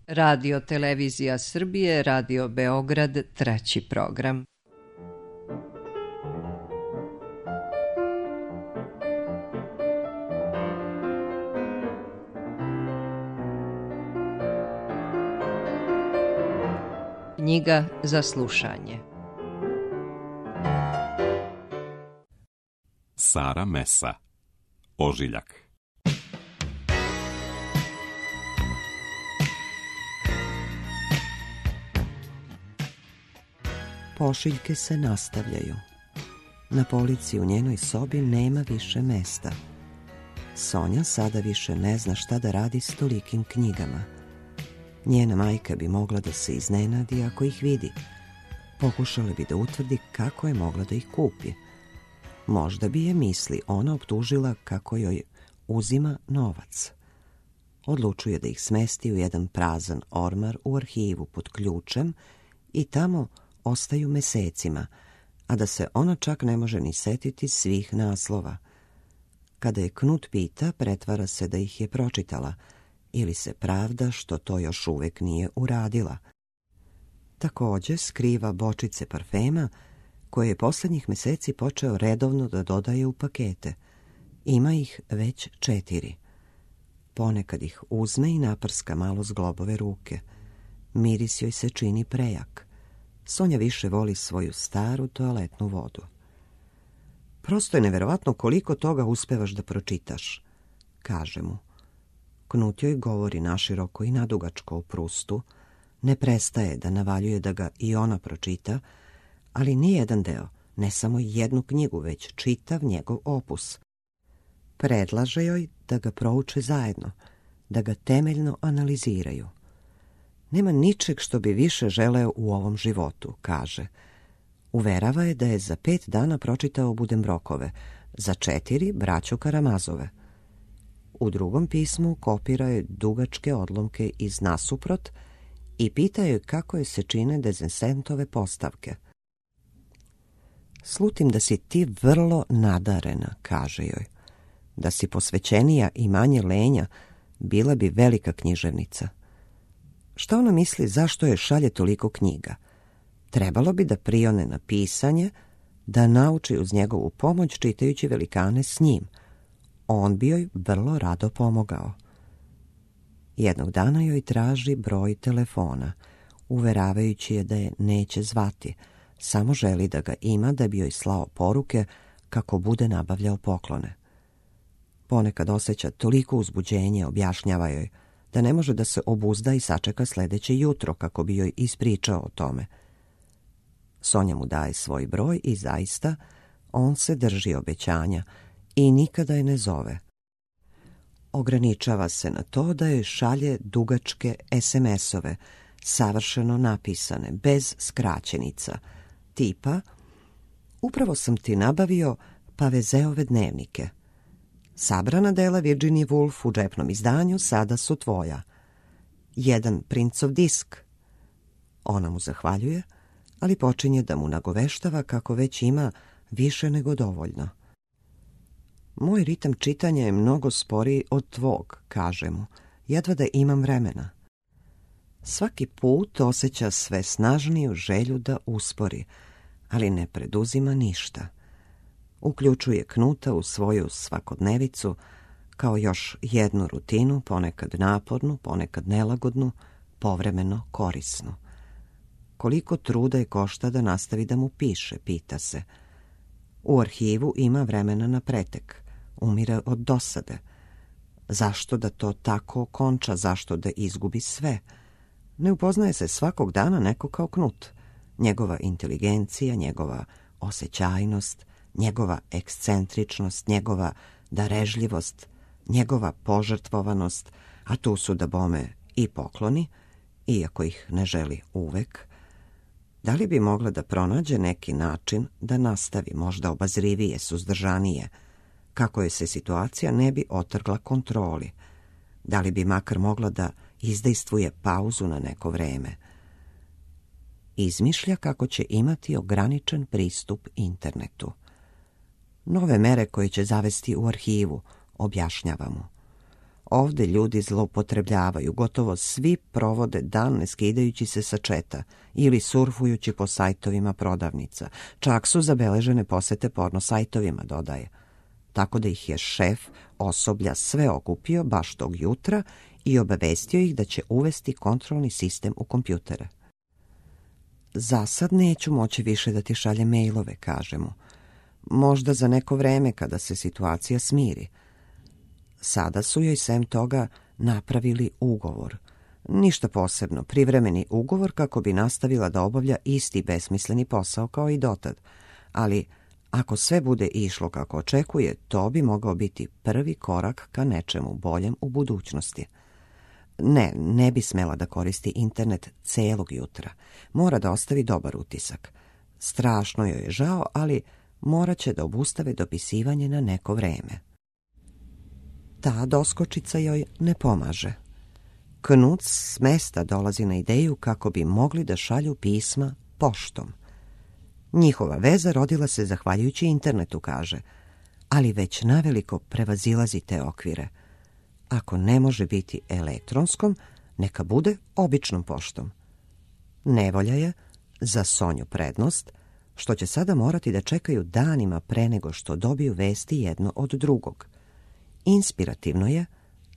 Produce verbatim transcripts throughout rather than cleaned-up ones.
Radio Televizija Srbije, Radio Beograd, treći program. Knjiga za slušanje. Sara Mesa, Ožiljak. Pošiljke se nastavljaju. Na polici u njenoj sobi nema više mesta. Sonja sada više ne zna šta da radi s tolikim knjigama. Njena majka bi mogla da se iznenadi ako ih vidi. Pokušala bi da utvrdi kako je mogla da ih kupi. Možda bi je misli ona optužila kako joj uzima novac. Odlučuje da ih smesti u jedan prazan ormar u arhivu pod ključem i tamo ostaju mesecima, a da se ona čak ne može ni setiti svih naslova. Kada je Knut pita, pretvara se da ih je pročitala ili se pravda što to još uvek nije uradila. Također skriva bočice parfema koje je posljednjih meseci počeo redovno da dodaje u pakete. Ima ih već četiri. Ponekad ih uzme i naprska malo zglobove ruke. Miris joj se čini prejak. Sonja više voli svoju staru toaletnu vodu. Prosto je neverovatno koliko toga uspevaš da pročitaš, kaže mu. Knut joj govori naširoko i nadugačko o Prustu, ne prestaje da navaljuje da ga i ona pročita, ali nije jedan deo, ne samo jednu knjigu, već čitav njegov opus. Predlaže joj da ga prouče zajedno, da ga temeljno analiziraju. Nema ničeg što bi više želeo u ovom životu, kaže. Uverava je da je za pet dana pročitao Budembrokove, za četiri braću Karamazove. U drugom pismu kopira je dugačke odlomke iz Nasuprot i pita je kako je se čine Dezensentove postavke. Slutim da si ti vrlo nadarena, kaže joj. Da si posvećenija i manje lenja, bila bi velika književnica. Šta ona misli zašto je šalje toliko knjiga? Trebalo bi da prione na pisanje, da nauči uz njegovu pomoć čitajući velikane s njim. On bi joj vrlo rado pomogao. Jednog dana joj traži broj telefona, uveravajući je da je neće zvati, samo želi da ga ima da bi joj slao poruke kako bude nabavljao poklone. Ponekad osjeća toliko uzbuđenje, objašnjava joj, da ne može da se obuzda i sačeka sljedeće jutro kako bi joj ispričao o tome. Sonja mu daje svoj broj i zaista on se drži obećanja i nikada je ne zove. Ograničava se na to da joj šalje dugačke es em esove, savršeno napisane, bez skraćenica, tipa upravo sam ti nabavio Pavezeove dnevnike. Sabrana dela Virginia Woolf u džepnom izdanju sada su tvoja. Jedan princov disk. Ona mu zahvaljuje, ali počinje da mu nagoveštava kako već ima više nego dovoljno. Moj ritam čitanja je mnogo sporiji od tvog, kaže mu, jedva da imam vremena. Svaki put osjeća sve snažniju želju da uspori, ali ne preduzima ništa. Uključuje Knuta u svoju svakodnevicu kao još jednu rutinu, ponekad napornu, ponekad nelagodnu, povremeno korisnu. Koliko truda je košta da nastavi da mu piše, pita se. U arhivu ima vremena na pretek, umire od dosade. Zašto da to tako okonča, zašto da izgubi sve? Ne upoznaje se svakog dana neko kao Knut. Njegova inteligencija, njegova osjećajnost, njegova ekscentričnost, njegova darežljivost, njegova požrtvovanost, a tu su da bome i pokloni, iako ih ne želi uvek. Da li bi mogla da pronađe neki način da nastavi, možda obazrivije, suzdržanije, kako je se situacija ne bi otrgla kontroli? Da li bi makar mogla da izdejstvuje pauzu na neko vreme? Izmišlja kako će imati ograničen pristup internetu. Nove mere koje će zavesti u arhivu, objašnjava mu. Ovde ljudi zloupotrebljavaju, gotovo svi provode dan ne skidajući se sa četa ili surfujući po sajtovima prodavnica. Čak su zabeležene posete porno sajtovima, dodaje. Tako da ih je šef osoblja sve okupio baš tog jutra i obavestio ih da će uvesti kontrolni sistem u kompjutere. Za sad neću moći više da ti šaljem mailove, kaže mu. Možda za neko vreme kada se situacija smiri. Sada su joj sem toga napravili ugovor. Ništa posebno, privremeni ugovor kako bi nastavila da obavlja isti besmisleni posao kao i dotad. Ali ako sve bude išlo kako očekuje, to bi mogao biti prvi korak ka nečemu boljem u budućnosti. Ne, ne bi smela da koristi internet celog jutra. Mora da ostavi dobar utisak. Strašno joj je žao, ali morat će da obustave dopisivanje na neko vreme. Ta doskočica joj ne pomaže. Knut s mesta dolazi na ideju kako bi mogli da šalju pisma poštom. Njihova veza rodila se zahvaljujući internetu, kaže, ali već naveliko prevazilazi te okvire. Ako ne može biti elektronskom, neka bude običnom poštom. Nevolja je, za Sonju prednost, što će sada morati da čekaju danima pre nego što dobiju vesti jedno od drugog. Inspirativno je,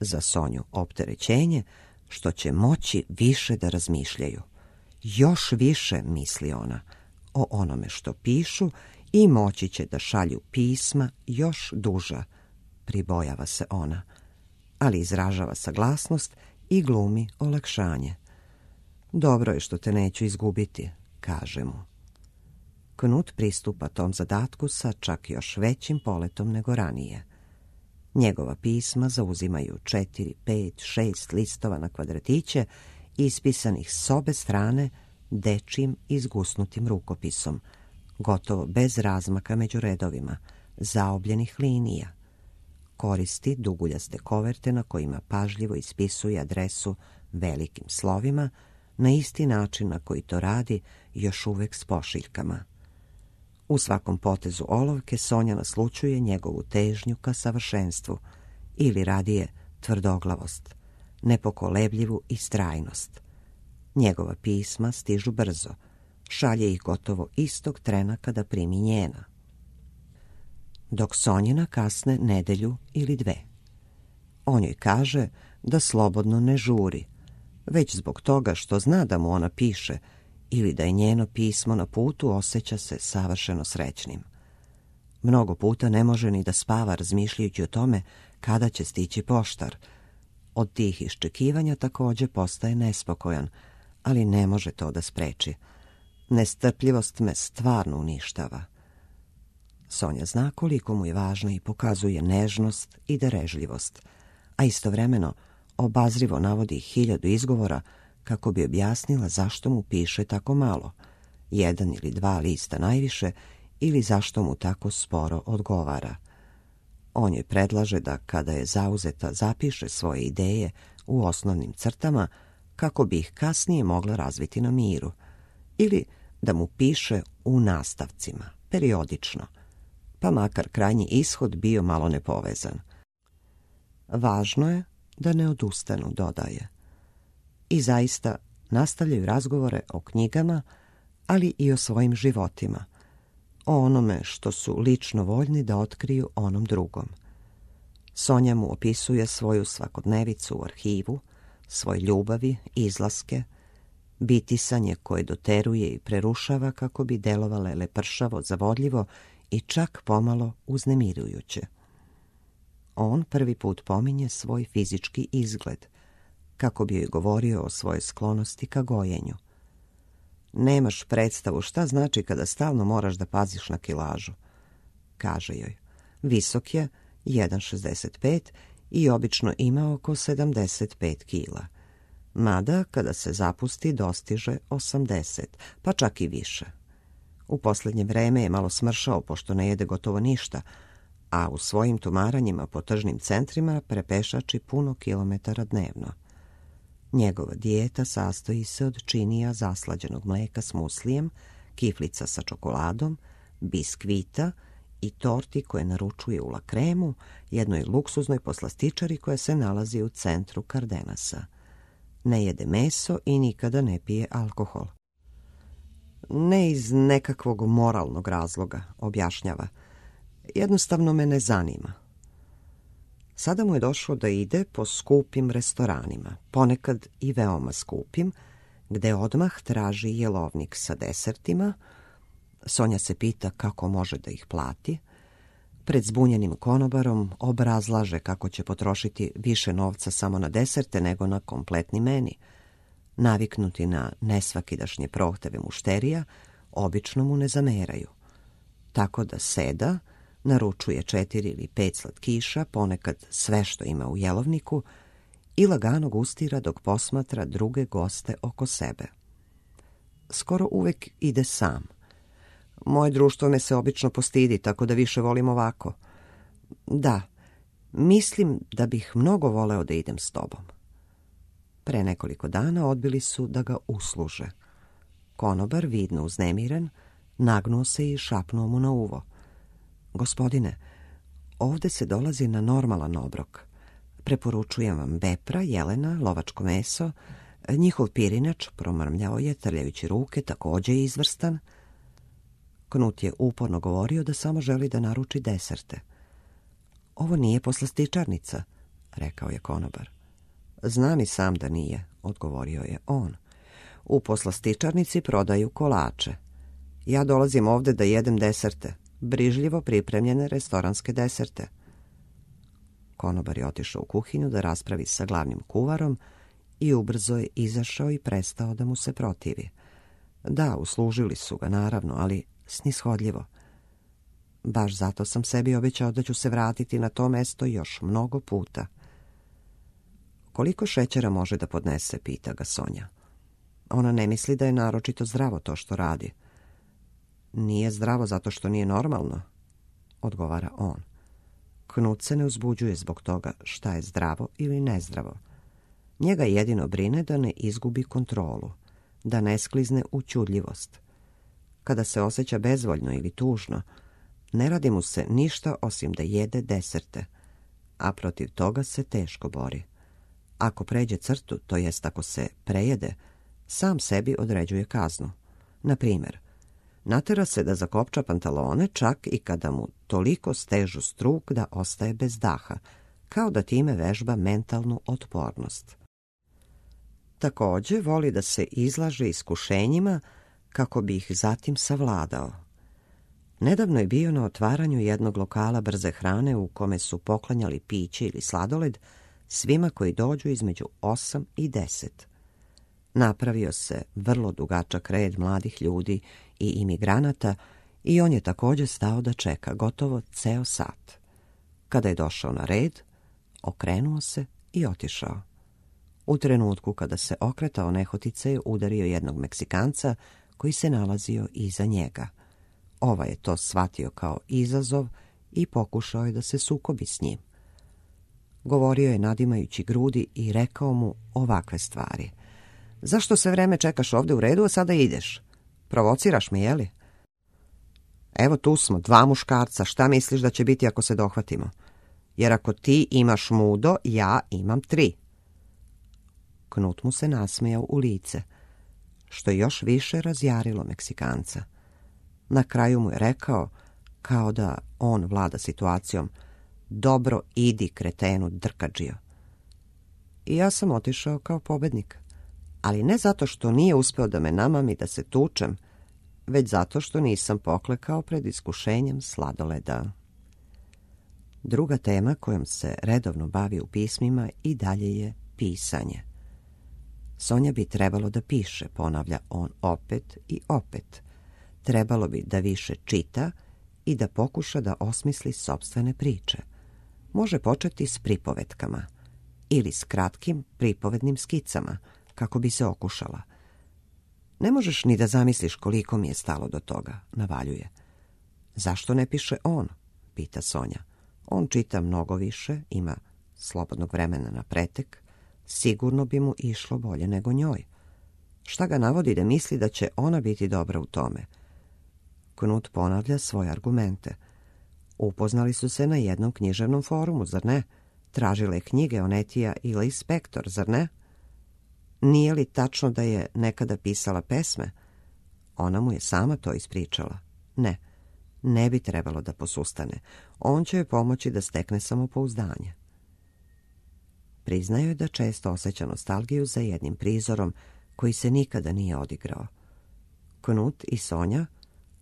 za Sonju opterećenje, što će moći više da razmišljaju. Još više, misli ona, o onome što pišu i moći će da šalju pisma još duža, pribojava se ona, ali izražava saglasnost i glumi olakšanje. Dobro je što te neću izgubiti, kaže mu. Knut pristupa tom zadatku sa čak još većim poletom nego ranije. Njegova pisma zauzimaju četiri, pet, šest listova na kvadratiće, ispisanih s obe strane dečijim izgusnutim rukopisom, gotovo bez razmaka među redovima, zaobljenih linija. Koristi duguljaste koverte na kojima pažljivo ispisuje adresu velikim slovima, na isti način na koji to radi još uvek s pošiljkama. U svakom potezu olovke Sonja naslučuje njegovu težnju ka savršenstvu, ili radije tvrdoglavost, nepokolebljivu istrajnost. Njegova pisma stižu brzo, šalje ih gotovo istog trena kada primi njena. Dok Sonjina kasne nedelju ili dve. On joj kaže da slobodno ne žuri, već zbog toga što zna da mu ona piše ili da je njeno pismo na putu, osjeća se savršeno srećnim. Mnogo puta ne može ni da spava razmišljajući o tome kada će stići poštar. Od tih iščekivanja također postaje nespokojan, ali ne može to da spreči. Nestrpljivost me stvarno uništava. Sonja zna koliko mu je važna i pokazuje nežnost i darežljivost, a istovremeno obazrivo navodi hiljadu izgovora kako bi objasnila zašto mu piše tako malo, jedan ili dva lista najviše, ili zašto mu tako sporo odgovara. On joj predlaže da kada je zauzeta zapiše svoje ideje u osnovnim crtama kako bi ih kasnije mogla razviti na miru, ili da mu piše u nastavcima, periodično, pa makar krajnji ishod bio malo nepovezan. Važno je da ne odustanu, dodaje. I zaista nastavljaju razgovore o knjigama, ali i o svojim životima, o onome što su lično voljni da otkriju onom drugom. Sonja mu opisuje svoju svakodnevicu u arhivu, svoje ljubavi, izlaske, bitisanje koje doteruje i prerušava kako bi delovale lepršavo, zavodljivo i čak pomalo uznemirujuće. On prvi put pominje svoj fizički izgled, kako bi joj govorio o svojoj sklonosti ka gojenju. Nemaš predstavu šta znači kada stalno moraš da paziš na kilažu, kaže joj. Visok je jedan šezdeset pet i obično ima oko sedamdeset pet kila. Mada, kada se zapusti, dostiže osamdeset, pa čak i više. U posljednje vreme je malo smršao, pošto ne jede gotovo ništa, a u svojim tumaranjima po tržnim centrima prepešači puno kilometara dnevno. Njegova dijeta sastoji se od činija zaslađenog mleka s muslijem, kiflica sa čokoladom, biskvita i torti koje naručuje u La Cremu, jednoj luksuznoj poslastičari koja se nalazi u centru Cardenasa. Ne jede meso i nikada ne pije alkohol. Ne iz nekakvog moralnog razloga, objašnjava. Jednostavno me ne zanima. Sada mu je došlo da ide po skupim restoranima, ponekad i veoma skupim, gde odmah traži jelovnik sa desertima. Sonja se pita kako može da ih plati. Pred zbunjenim konobarom obrazlaže kako će potrošiti više novca samo na deserte nego na kompletni meni. Naviknuti na nesvakidašnje prohteve mušterija, obično mu ne zameraju. Tako da seda, naručuje četiri ili pet slatkiša, ponekad sve što ima u jelovniku, i lagano gustira dok posmatra druge goste oko sebe. Skoro uvek ide sam. Moje društvo me se obično postidi, tako da više volim ovako. Da, mislim da bih mnogo voleo da idem s tobom. Pre nekoliko dana odbili su da ga usluže. Konobar, vidno uznemiren, nagnuo se i šapnuo mu na uvo. Gospodine, ovde se dolazi na normalan obrok. Preporučujem vam bepra, jelena, lovačko meso. Njihov pirinač, promrmljao je, trljajući ruke, takođe je izvrstan. Knut je uporno govorio da samo želi da naruči deserte. Ovo nije poslastičarnica, rekao je konobar. Znam i sam da nije, odgovorio je on. U poslastičarnici prodaju kolače. Ja dolazim ovde da jedem deserte, brižljivo pripremljene restoranske deserte. Konobar je otišao u kuhinju da raspravi sa glavnim kuvarom i ubrzo je izašao i prestao da mu se protivi. Da, uslužili su ga, naravno, ali snishodljivo. Baš zato sam sebi obećao da ću se vratiti na to mesto još mnogo puta. Koliko šećera može da podnese, pita ga Sonja. Ona ne misli da je naročito zdravo to što radi. Nije zdravo zato što nije normalno, odgovara on. Knut se ne uzbuđuje zbog toga šta je zdravo ili nezdravo. Njega jedino brine da ne izgubi kontrolu, da ne sklizne u ćudljivost. Kada se osjeća bezvoljno ili tužno, ne radi mu se ništa osim da jede deserte, a protiv toga se teško bori. Ako pređe crtu, to jest ako se prejede, sam sebi određuje kaznu. Na primjer, natera se da zakopča pantalone čak i kada mu toliko stežu struk da ostaje bez daha, kao da time vežba mentalnu otpornost. Takođe voli da se izlaže iskušenjima kako bi ih zatim savladao. Nedavno je bio na otvaranju jednog lokala brze hrane u kome su poklanjali piće ili sladoled svima koji dođu između osam i deset. Napravio se vrlo dugačak red mladih ljudi i imigranata i on je takođe stao da čeka gotovo ceo sat. Kada je došao na red, okrenuo se i otišao. U trenutku kada se okretao, nehotice je udario jednog Meksikanca koji se nalazio iza njega. Ovaj je to shvatio kao izazov i pokušao je da se sukobi s njim. Govorio je nadimajući grudi i rekao mu ovakve stvari. Zašto sve vreme čekaš ovde u redu, a sada ideš? Provociraš me, jeli? Evo tu smo, dva muškarca, šta misliš da će biti ako se dohvatimo? Jer ako ti imaš mudo, ja imam tri. Knut mu se nasmejao u lice, što je još više razjarilo Meksikanca. Na kraju mu je rekao, kao da on vlada situacijom, dobro idi, kretenu, drkadžio. I ja sam otišao kao pobednik, ali ne zato što nije uspeo da me namami da se tučem, već zato što nisam poklekao pred iskušenjem sladoleda. Druga tema kojom se redovno bavi u pismima i dalje je pisanje. Sonja bi trebalo da piše, ponavlja on opet i opet. Trebalo bi da više čita i da pokuša da osmisli sopstvene priče. Može početi s pripovetkama ili s kratkim pripovednim skicama, kako bi se okušala. Ne možeš ni da zamisliš koliko mi je stalo do toga, navaljuje. Zašto ne piše on? Pita Sonja. On čita mnogo više, ima slobodnog vremena na pretek, sigurno bi mu išlo bolje nego njoj. Šta ga navodi da misli da će ona biti dobra u tome? Knut ponavlja svoje argumente. Upoznali su se na jednom književnom forumu, zar ne? Tražile knjige Onetija i Lee Spector, zar ne? Nije li tačno da je nekada pisala pesme? Ona mu je sama to ispričala. Ne, ne bi trebalo da posustane. On će joj pomoći da stekne samopouzdanje. Priznaju da često osjeća nostalgiju za jednim prizorom koji se nikada nije odigrao. Knut i Sonja,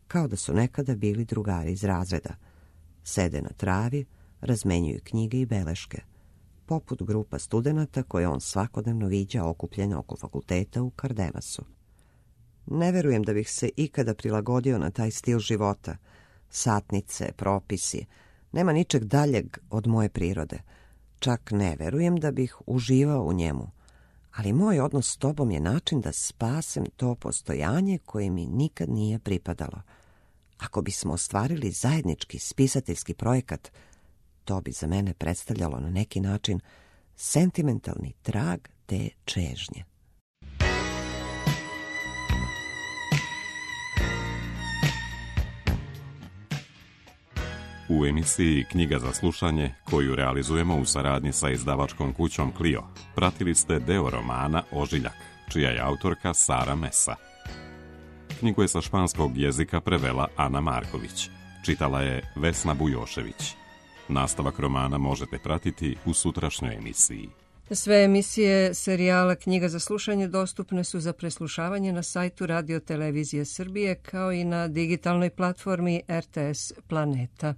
kao da su nekada bili drugari iz razreda, sede na travi, razmenjuju knjige i beleške, poput grupa studenata koje on svakodnevno viđa okupljene oko fakulteta u Kardenasu. Ne verujem da bih se ikada prilagodio na taj stil života. Satnice, propisi, nema ničeg daljeg od moje prirode. Čak ne verujem da bih uživao u njemu. Ali moj odnos s tobom je način da spasem to postojanje koje mi nikad nije pripadalo. Ako bismo ostvarili zajednički spisateljski projekat, to bi za mene predstavljalo na neki način sentimentalni trag te čežnje. U emisiji Knjiga za slušanje, koju realizujemo u saradnji sa izdavačkom kućom Clio, pratili ste deo romana Ožiljak, čija je autorka Sara Mesa. Knjigu je sa španskog jezika prevela Ana Marković, čitala je Vesna Bujošević. Nastavak romana možete pratiti u sutrašnjoj emisiji. Sve emisije serijala Knjiga za slušanje dostupne su za preslušavanje na sajtu Radio Televizije Srbije kao i na digitalnoj platformi R T S Planeta.